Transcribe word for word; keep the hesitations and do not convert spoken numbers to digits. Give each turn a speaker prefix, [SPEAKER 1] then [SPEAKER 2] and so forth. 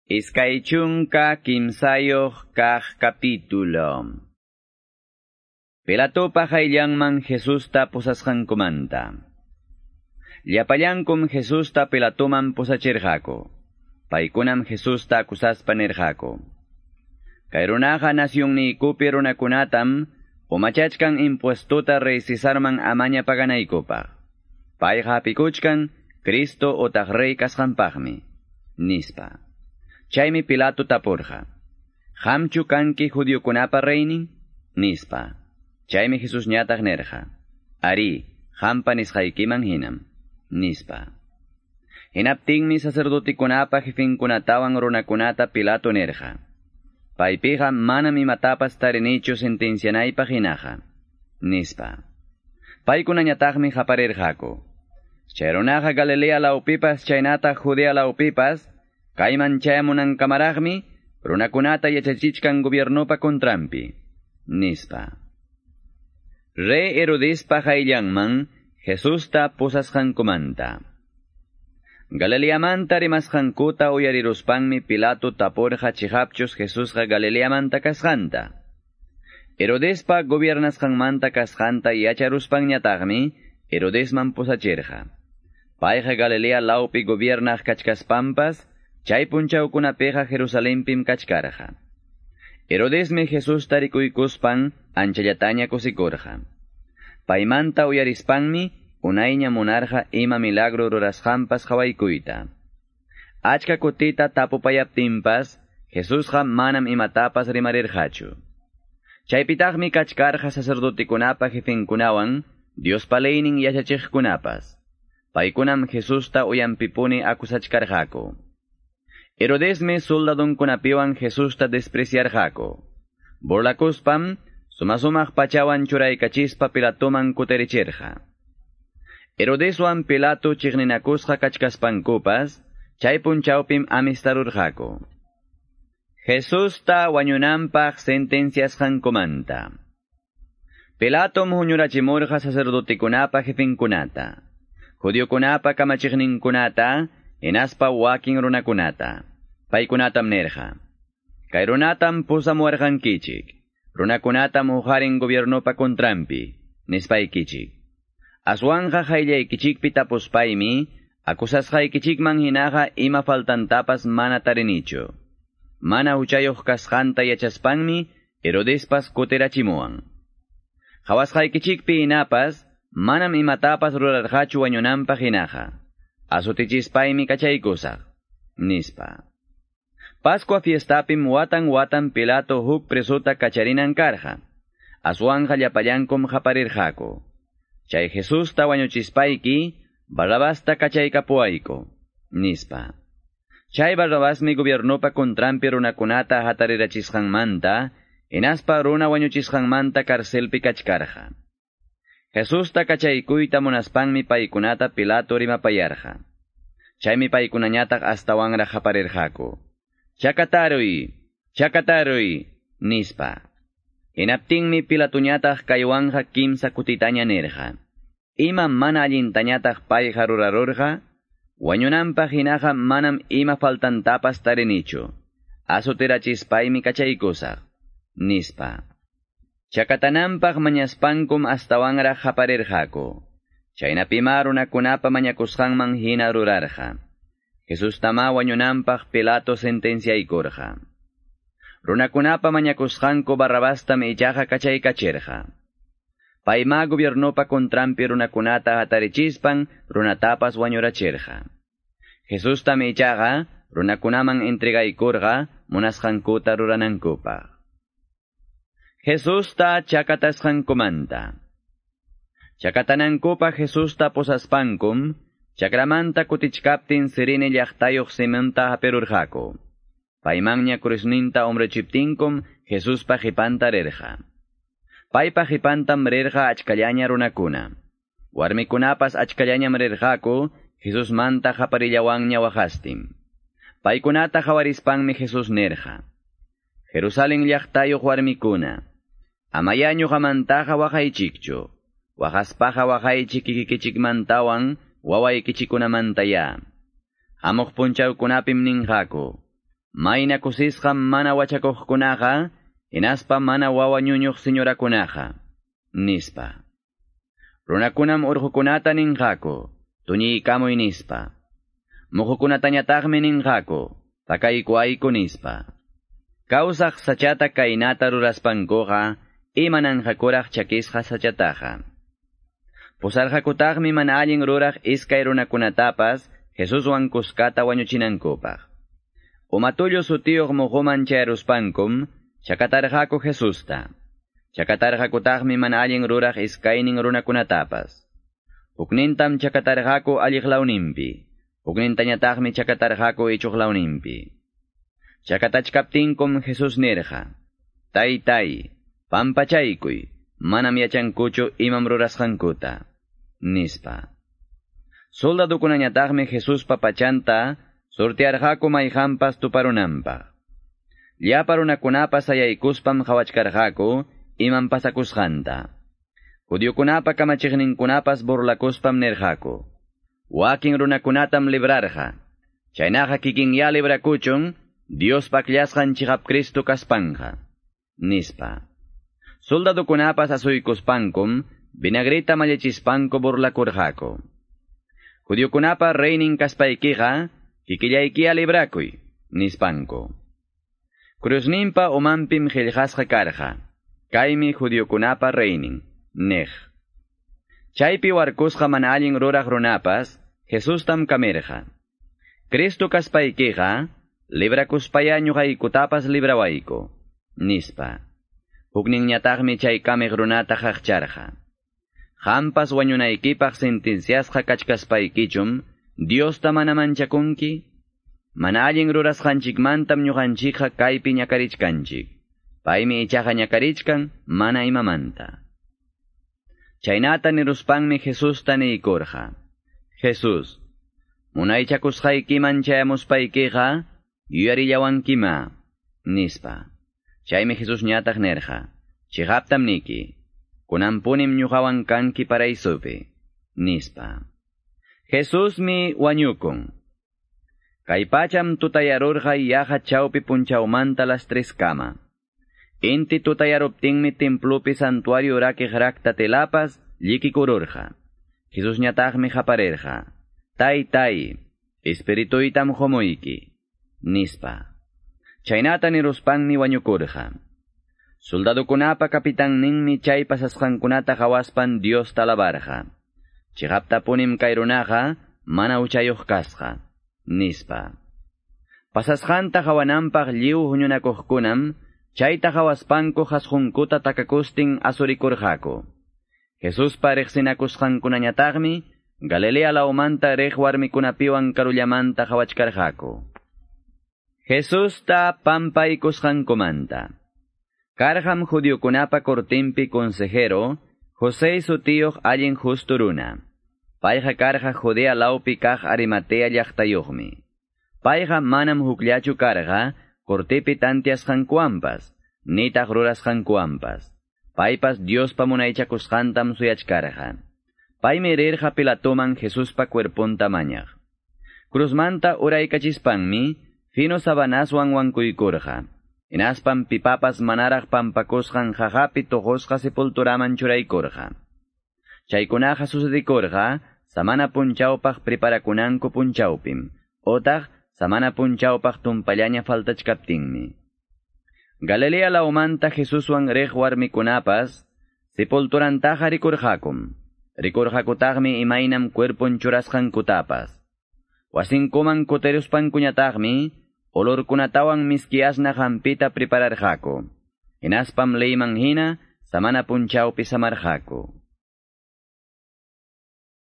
[SPEAKER 1] Iskay chunka kimsayuq kaq capítulo. Pilatopa qayllanman Jesusta pusasqankumanta. Llapallankum Jesusta Pilatoman pusachirqaku. Paykunam Jesusta akusaspa nirqaku. Kay runaqa nasyunniykupi runakunatam umachachkan impuestota rey Cesarman amaña paganaykupaq. Payqa hapikuchkan Cristo otaq rey kasqanpaqmi, nispa. Chaymi Pilato tapurqa. Qamchu kanki judiokunapa reynin? Nispa. Chaymi Jesus ñataq nirqa. Arí, qampa nisqaykiman hinam. Nispa. Hinaptinmi sacerdotekunapa jefinkunatawan runakunata Pilato nirqa. Paypiqa manam imatapas tarinichu sentencianaypaq hinaqa. Nispa. Paykunañataqmi qaparirqaku. Chay runaqa Galilea lawpipas chaynataq Judea lawpipas kayman chayamunankamaraqmi runakunata yachachichkan gobiernopa kontranpi. Nispa. Rey Herodespa qayllanman Jesusta pusasqankumanta. Galileamanta rimasqankuta uyariruspanmi Pilato tapurqa chiqapchus Jesusqa Galileamanta kasqanta. Herodespa gobiernasqanmanta kasqanta yacharuspanñataqmi Herodesman pusachirqa. Payqa Galilea lawpi gobiernaq kachkaspanpas chay punchawkunapiqa Jerusalenpim kachkarqa. Herodesmi Jesusta rikuykuspan anchallataña kusikurqa. Paymanta uyarispanmi unayña munarqa ima milagro rurasqanpas qawaykuyta. Achka kutita tapupayaptinpas Jesusqa manam imatapas rimarirqachu. Chaypitaqmi kachkarqa sacerdotekunapa jefinkunawan Diospa leynin yachachiqkunapas. Paykunam Jesusta uyanpipuni akusachkarqaku. Herodesmi soldadunkunapiwan Jesusta despreciarqaku. Burlakuspam suma-sumaq pachawan churaykachispa Pilatoman kutirichirqa. Herodeswan Pilato chiqninakusqa kachkaspankupas, chay punchawpim amistarurqaku. Jesusta wañunanpaq sentenciasqankumanta. Pilatom huñurachimurqa sacerdotekunapa jefinkunata, judiokunapa kamachiqninkunata, hinaspa wakin runakunata. Paykunatam nirqa. Kay runatam pusamuwarqankichik, runakunatam huqarin gobiernopa kontranpi, nispaykichik. Aswanqa qayllaykichikpi tapuspaymi, akusasqaykichikman hinaqa ima faltantapas mana tarinichu. Mana huchayuq kasqanta yachaspanmi, Herodespas kutirachimuwan. Qhawasqaykichikpi hinapas, manam imatapas rurarqachu wañunanpaq hinaqa. Azutichispaymi kachaykusaq, nispa. Pascua fiestapim watan watan Pilato huk presota kacharinan karqa. Aswanja llapallankum qaparirqaku. Chay Jesusta wañuchispayki, Barrabasta kachaykapuwayku, nispa. Chay Barrabasmi gobiernopa kontranpi runakunata hatarirachisqanmanta, hinaspa runa wañuchisqanmanta karcelpi kachkarqa. Jesusta kachaykuyta munaspanmi paykunata Pilato rimapayarqa. Chaymi paykunañataq astawanraq qaparirqaku. Chakataruy, chakataruy, nispa. Hinaptinmi Pilatoñataq kaywanqa kimsa kutitaña nirqa. Ima mana allintañataq payqa rurarurqa, wañunanpaq hinaqa manam ima faltantapas tarinichu. Azutirachispaymi kachaykusaq, nispa. Chakatananpaq mañaspankum astawanraq qaparirqaku. Chaynapima runakunapa mañakusqanman hina rurarqa. Jesustama wañunanpaq Pilato sentenciaykurqa. Runakunapa mañakusqanku Barrabastam ichaqa kachaykachirqa. Payma gobiernopa kontranpi runakunata hatarichispan runatapas wañurachirqa. Jesustam ichaqa runakunaman entregaykurqa munasqankuta ruranankupaq. Jesusta chakatasqankumanta. Chakatanankupaq Jesusta pusaspankum, chakramanta kutichkaptin Cirene llaqtayuq Simonta hapirurqaku. Paymanña cruzninta hombrechiptinkum Jesuspa qhipanta rirqa. Paypa qhipantam rirqa achkallaña runakuna. Warmikunapas achkallañam rirqaku Jesusmanta qaparillawanña waqastin. Paykunata qawarispanmi Jesús nirqa. Jerusalén llaqtayuq warmikuna, amaya ñuqamantaqa waqaychikchu, waqaspaqa waqaychik kikikichikmantawan wawaykichikunamantaya. Hamuq punchawkunapim ninqaku. Mayna kusisqam mana wachakuqkunaqa, hinaspa mana wawa ñuñuq señorakunaqa, nispa. Runakunam urqukunata ninqaku, tuñiykamuy nispa. Muqukunatañataqmi ninqaku, pakaykuayku nispa. Kawsaq sachata kaynata ruraspankuqa, imananqakuraq chakisqa sachataqa. Pusarqakutaqmi mana allin ruraq iskay runakunatapas Jesuswan kuskata wañuchinankupaq. Umatullu sutiyuq muquman chayaruspankum, chakatarqaku Jesusta. Chakatarqakutaqmi mana allin ruraq iskaynin runakunatapas. Huknintam chakatarqaku alliq lawninpi, huknintañataqmi chakatarqaku ichuq lawninpi. Chakatachkaptinkum Jesús nirqa, Taytay, pampachaykuy, manam yachankuchu imam rurasqankuta, nispa. Soldadukunañataqmi Jesuspa pachanta sortearqaku mayqanpas tuparunanpaq. Llapa runakunapas sayaykuspam qhawachkarqaku imam pasakusqanta. Judiokunapa kamachiqninkunapas burlakuspam nirqaku. Wakin runakunatam librarqa. Chaynaqa kikinya librakuchun, Diospa akllasqan chiqap Cristo kaspanja, nispa. Soldadukunapas asuykuspankum, vinagrita mallichispanku burlakurqaku. Judiokunapa reynin kaspaykiqa, kikillaykiya librakuy, nispanku. Cruzninpa umanpim qillqasqa karqa, kaymi judiokunapa reynin, niq. Chaypi warkusqa mana allin ruraq runapas, Jesustam kamirqa. Cristo kaspaykiqa, librakuspaya ñuqaykutapas librawayku, nispa. Hukninñataqmi chay kamiq runata qaqcharqa. Qampas wañunaykipaq sentenciasqa kachkaspaykichum, Diosta mana manchakunki? Mana allin rurasqanchikmantam ñuqanchikqa kaypi ñakarichkanchik. Paymi ichaqa ñakarichkan mana imamanta. Chaynata niruspanmi Jesusta niykurqa. Jesús, munaychakusqaykiman chayamuspaykiqa, yuyarillawankima, nispa. Chaymi Jesús ñataq nirqa, chiqaptam niki, kunanpunim ñuqawan kanki paraisupi, nispa. Jesusmi wañukun. Kay pacham tutayarurqa yaqa chawpi punchawmanta las tres kama. Inti tutayaruptinmi templopi santuario rakiq rakta telapas llikikururqa. Jesús ñataqmi qaparirqa, Taytay, espirituytam qumuyki, nispa. Chaynata niruspanmi wañukurqa. Soldadukunapa kapitanninmi chay pasasqankunata qhawaspan Diosta alabarqa. Chiqaptapunim kay runaqa mana huchayuq kasqa, nispa. Pasasqanta qawananpaq lliw huñunakuqkunam chayta qhawaspanku qhasqunkuta takakustin asurikurqaku. Jesuspa riqsinakusqankunañataqmi Galilea lawmanta riq warmikunapiwan karullamanta qhawachkarqaku. Jesusta pampaykusqankumanta. Karqam judiokunapa cortinpi consejero, José sutiyuq allin justo runa. Payqa karqa Judea lawpi kaq Arimatea llaqtayuqmi. Payqa manam hukllachu karqa cortepi tantiasqankuwanpas, nitaq rurasqankuwanpas. Paypas Diospa munaychakusqantam suyachkarqa. Paymi rirqa Pilatoman Jesuspa cuerponta mañaq. Cruzmanta uraykachispanmi fino sabanaswan wankuykurqa. Hinaspan pipapas manaraq pampakusqan qaqapi tuqusqa sepulturaman churaykurqa. Chaykunaqa sucedikurqa samana punchawpaq preparakunanku punchawpim, otaq samana punchawpaq tumpallaña faltachkaptinmi. Galilea lawmanta Jesuswan riq warmikunapas sepulturantaqa rikurqakum. Rikurqakutaqmi imaynam cuerpon churasqankutapas. Wasinkuman kutiruspankuñataqmi olorkunatawan miski asnaq hampita prepararqaku. Hinaspam leyman hina samana punchawpi samarqaku.